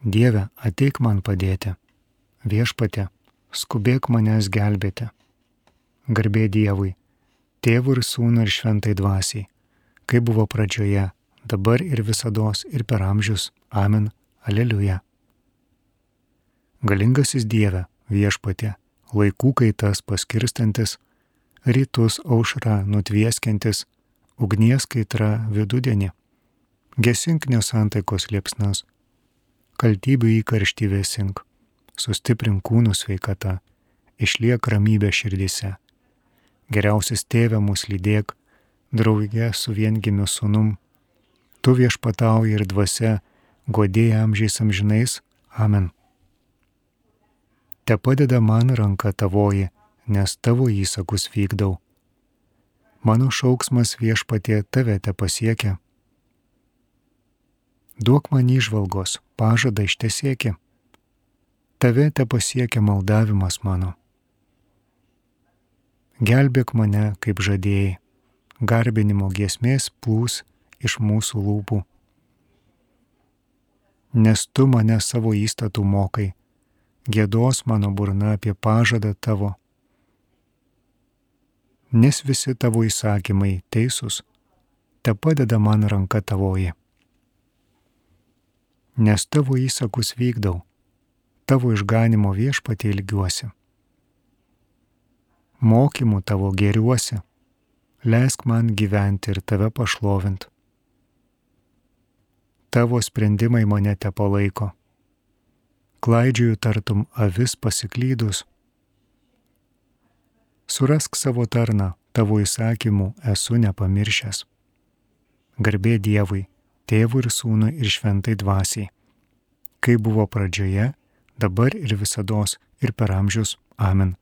Dieve, ateik man padėti. Viešpatie, skubėk manęs gelbėti. Garbė Dievui, Tėvui ir Sūnui ir Šventai Dvasiai, kaip buvo pradžioje, dabar ir visados ir per amžius. Amen. Aleliuja. Galingasis Dieve, Viešpatie, laikų kaitas paskirstantis, rytus aušra nutvieskiantis, ugnies kaitra vidudienį, gesink nesantaikos liepsnas, kaltybių įkarštį vėsink, sustiprink kūnų sveikata, išliek ramybė širdyse. Geriausias Tėve mus lydėk, drauge su viengimiu sūnum, tu viešpatauji ir dvasia, godėja amžiais amžinais. Amen. Te padeda man ranka tavoji, nes tavo įsakus vykdau. Mano šauksmas Viešpatie tave te pasiekia. Duok man įžvalgos, pažadą ištesėki. Tave te pasiekia maldavimas mano. Gelbėk mane, kaip žadėjai, garbinimo giesmės plūs iš mūsų lūpų. Nes tu mane savo įstatų mokai, giedos mano burna apie pažadą tavo. Nes visi tavo įsakymai teisūs, te padeda man ranka tavoji. Nes tavo įsakus vykdau, tavo išganimo Viešpatie ilgiuosi. Mokymų tavo gėriuosi, leisk man gyventi ir tave pašlovint. Tavo sprendimai mane te palaiko. Klaidžioju tartum avis pasiklydus. Surask savo tarną, tavo įsakymų esu nepamiršęs. Garbė Dievui, Tėvui ir Sūnui ir Šventai Dvasiai, kaip buvo pradžioje, dabar ir visados ir per amžius. Amen.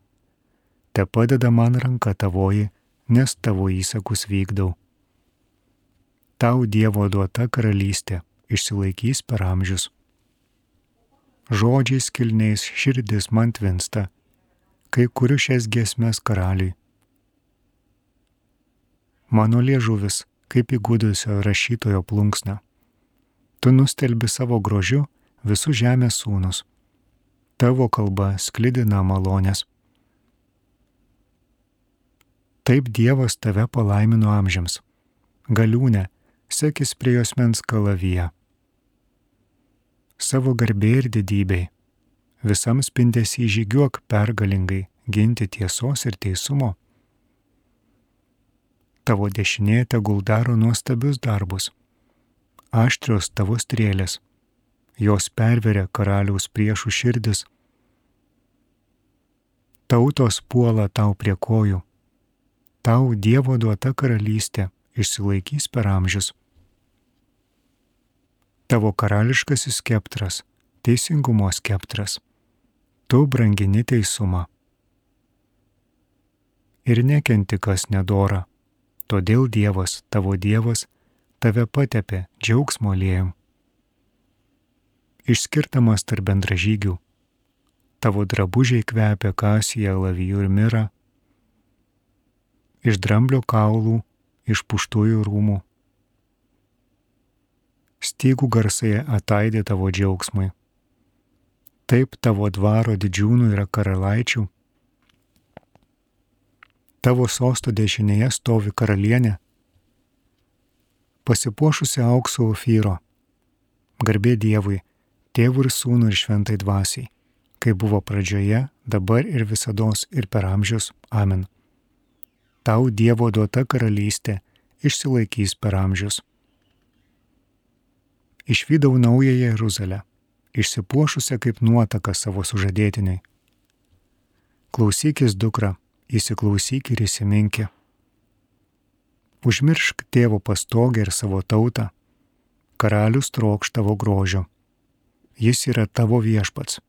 Te padeda man ranka tavoji, nes tavo įsakus vykdau. Tau Dievo duota karalystė išsilaikys per amžius. Žodžiais kilniais širdis man tvinsta, kai kuriu šias giesmes karaliui. Mano liežuvis, kaip įgudusio rašytojo plunksna. Tu nustelbi savo grožiu visų žemės sūnus. Tavo kalba sklidina malonės. Taip Dievas tave palaimino amžiams. Galiūne, sekis prie juosmens kalaviją. Savo garbė ir didybei, visam spindesį žygiuok pergalingai ginti tiesos ir teisumo. Tavo dešinė tegul daro nuostabius darbus. Aštrios tavo strėlės, jos perveria karaliaus priešų širdis. Tautos puola tau prie kojų. Tau Dievo duota karalystė išsilaikys per amžius. Tavo karališkasis skeptras, teisingumo skeptras, tu brangini teisumą. Ir nekenti kas nedora, todėl Dievas, tavo Dievas, tave patepė džiaugsmo aliejum. Išskirtamas tarp bendražygių, tavo drabužiai kvepia kasija, alavijų ir mira, iš dramblio kaulų, iš puštųjų rūmų. Stygų garsai ataidė tavo džiaugsmui. Taip tavo dvaro didžiūnų yra karalaičių. Tavo sosto dešinėje stovi karalienė, pasipuošusi aukso ofyro. Garbė Dievui, Tėvui ir Sūnui ir Šventai Dvasiai, kaip buvo pradžioje, dabar ir visados ir per amžius. Amen. Tau Dievo duota karalystė išsilaikys per amžius. Išvydau naują Jeruzalę, išsipuošusią kaip nuotaka savo sužadėtiniai. Klausykis, dukra, įsiklausyk ir įsiminki. Užmiršk tėvo pastogę ir savo tautą. Karalius trokš tavo grožio. Jis yra tavo viešpats.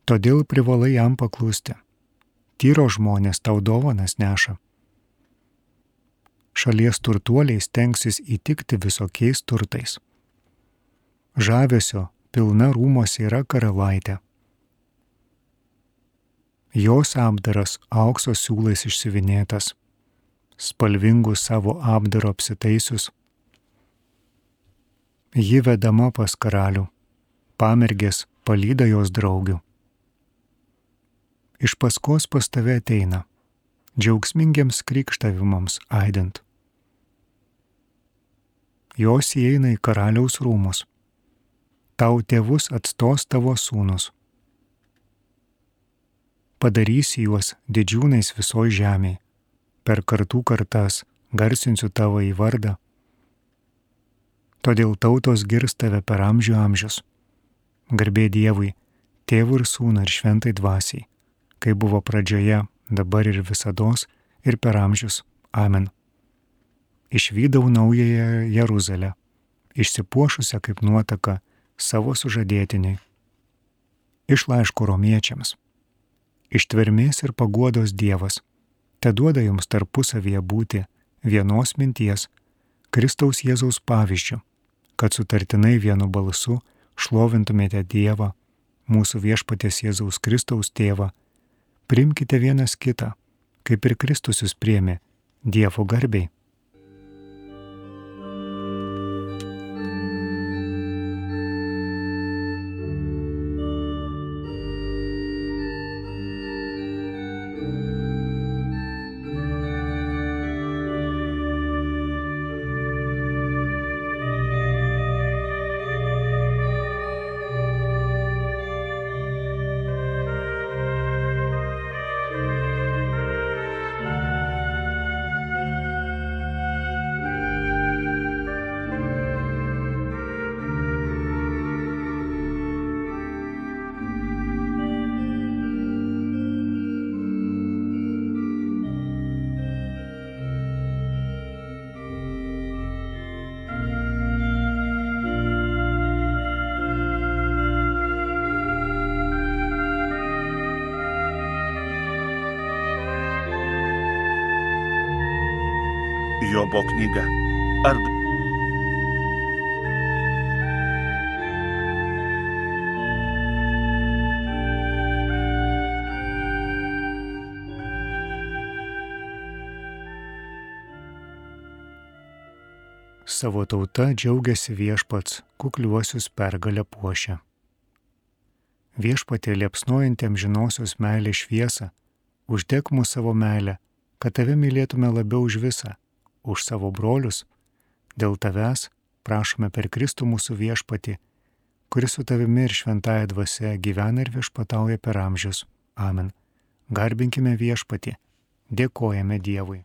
Todėl privalai jam paklusti. Tyro žmonės tau dovanas neša. Šalies turtuoliai stengsis įtikti visokiais turtais. Žavesio pilna rūmose yra karalaitė. Jos apdaras aukso siūlais išsiuvinėtas, spalvingų savo apdaro apsitaisius. Ji vedama pas karalių, pamergės palyda jos draugių. Iš paskos pas tave ateina, džiaugsmingiams krikštavimams aidint. Jos įeina į karaliaus rūmus, tau tėvus atstos tavo sūnus. Padarysi juos didžiūnais visoj žemėj, per kartų kartas garsinsiu tavo į vardą. Todėl tautos girs tave per amžių amžius. Garbė Dievui, Tėvui ir Sūnui ir Šventai Dvasiai, kai buvo pradžioje, dabar ir visados, ir per amžius. Amen. Išvydau naująją Jeruzalę, išsipuošusią kaip nuotaka savo sužadėtiniai. Iš laiško romiečiams. Ištvermės ir paguodos Dievas teduoda jums tarpusavyje būti vienos minties, Kristaus Jėzaus pavyzdžiu, kad sutartinai vienu balsu šlovintumėte Dievą, mūsų viešpaties Jėzaus Kristaus tėvą. Priimkite vienas kitą, kaip ir Kristus jus priėmė, Dievo garbei. Jobo knyga. Savo tauta džiaugiasi viešpats, kukliuosius pergalę puošia. Viešpatie liepsnojanti amžinosios meilės šviesą, uždek mūsų savo meilę, kad tave mylėtume labiau už visą, už savo brolius. Dėl tavęs prašome per Kristų mūsų viešpatį, kuris su tavimi ir šventąja dvasia gyvena ir viešpatauja per amžius. Amen. Garbinkime viešpatį, dėkojame Dievui.